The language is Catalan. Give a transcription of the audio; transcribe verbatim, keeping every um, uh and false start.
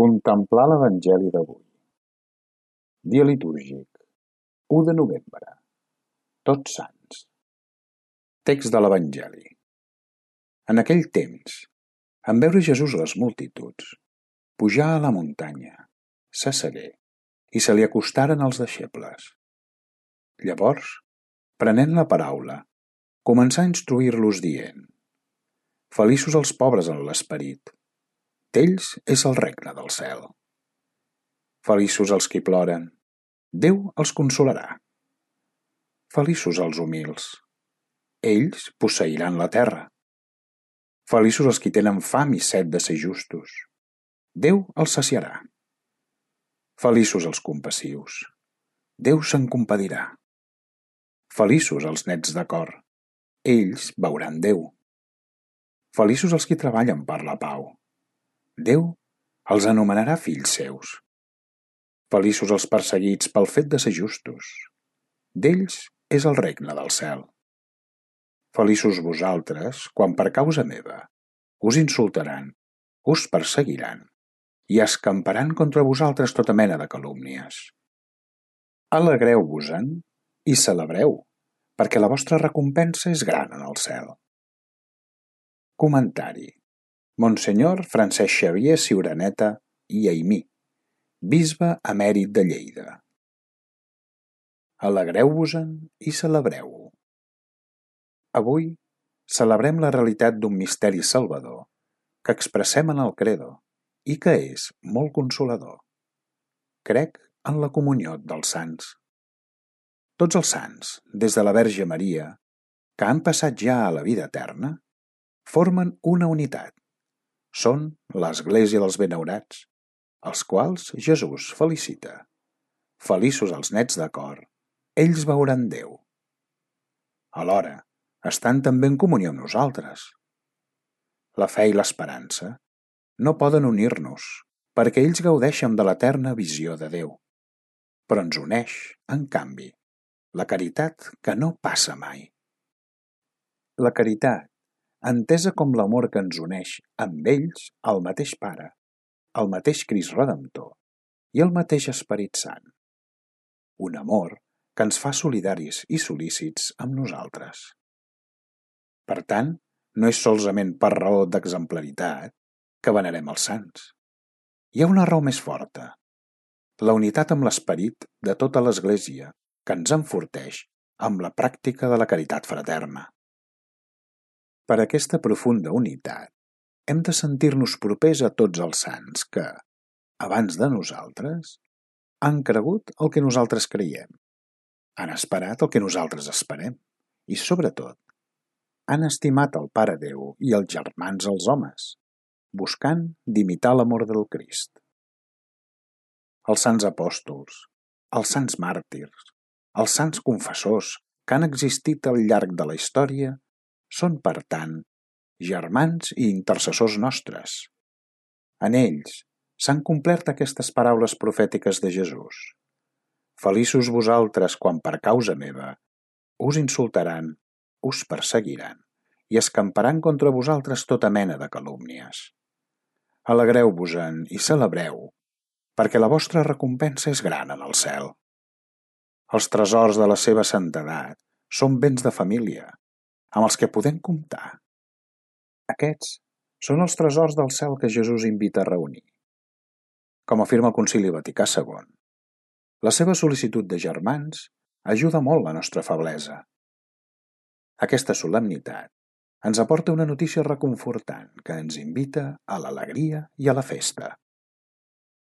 Contemplar l'Evangeli d'avui. Dia litúrgic, u de novembre. Tots Sants. Text de l'Evangeli. En aquell temps, en veure Jesús les multituds, pujà a la muntanya, s'assegué, i se li acostaren els deixebles. Llavors, prenent la paraula, començà a instruir-los dient: Feliços els pobres en l'esperit, d'ells és el regne del cel. Feliços els qui ploren, Déu els consolarà. Feliços els humils, ells posseiran la terra. Feliços els qui tenen fam i set de ser justos, Déu els saciarà. Feliços els compassius, Déu se'n compadirà. Feliços els nets de cor, ells veuran Déu. Feliços els qui treballen per la pau, Déu els anomenarà fills seus. Feliços els perseguits pel fet de ser justos, d'ells és el regne del cel. Feliços vosaltres quan per causa meva us insultaran, us perseguiran i escamparan contra vosaltres tota mena de calúmnies. Alegreu-vos-en i celebreu, perquè la vostra recompensa és gran en el cel. Comentari. Monsenyor Francesc Xavier Ciuraneta i Aimí, bisbe emèrit de Lleida. Alegreu-vos-en i celebreu. Avui celebrem la realitat d'un misteri salvador que expressem en el credo i que és molt consolador. Crec en la comunió dels sants. Tots els sants, des de la Verge Maria, que han passat ja a la vida eterna, formen una unitat. Són l'Església dels Benaurats, els quals Jesús felicita. Feliços els nets de cor, ells veuran Déu. Alhora, estan també en comunió amb nosaltres. La fe i l'esperança no poden unir-nos, perquè ells gaudeixen de l'eterna visió de Déu. Però ens uneix, en canvi, la caritat que no passa mai. La caritat, entesa com l'amor que ens uneix amb ells al mateix Pare, el mateix Crist Redemptor i el mateix Esperit Sant. Un amor que ens fa solidaris i solícits amb nosaltres. Per tant, no és solament per raó d'exemplaritat que venerem els sants. Hi ha una raó més forta, la unitat amb l'esperit de tota l'Església que ens enforteix amb la pràctica de la caritat fraterna. Per aquesta profunda unitat, hem de sentir-nos propers a tots els sants que, abans de nosaltres, han cregut el que nosaltres creiem, han esperat el que nosaltres esperem i, sobretot, han estimat el Pare Déu i els germans els homes, buscant d'imitar l'amor del Crist. Els sants apòstols, els sants màrtirs, els sants confessors que han existit al llarg de la història són, per tant, germans i intercessors nostres. En ells s'han complert aquestes paraules profètiques de Jesús. Feliços vosaltres quan per causa meva us insultaran, us perseguiran i escamparan contra vosaltres tota mena de calúmnies. Alegreu-vos-en i celebreu, perquè la vostra recompensa és gran en el cel. Els tresors de la seva santedat són béns de família, amb els que podem comptar. Aquests són els tresors del cel que Jesús invita a reunir. Com afirma el Concili Vaticà segon, la seva sol·licitud de germans ajuda molt la nostra feblesa. Aquesta solemnitat ens aporta una notícia reconfortant que ens invita a l'alegria i a la festa.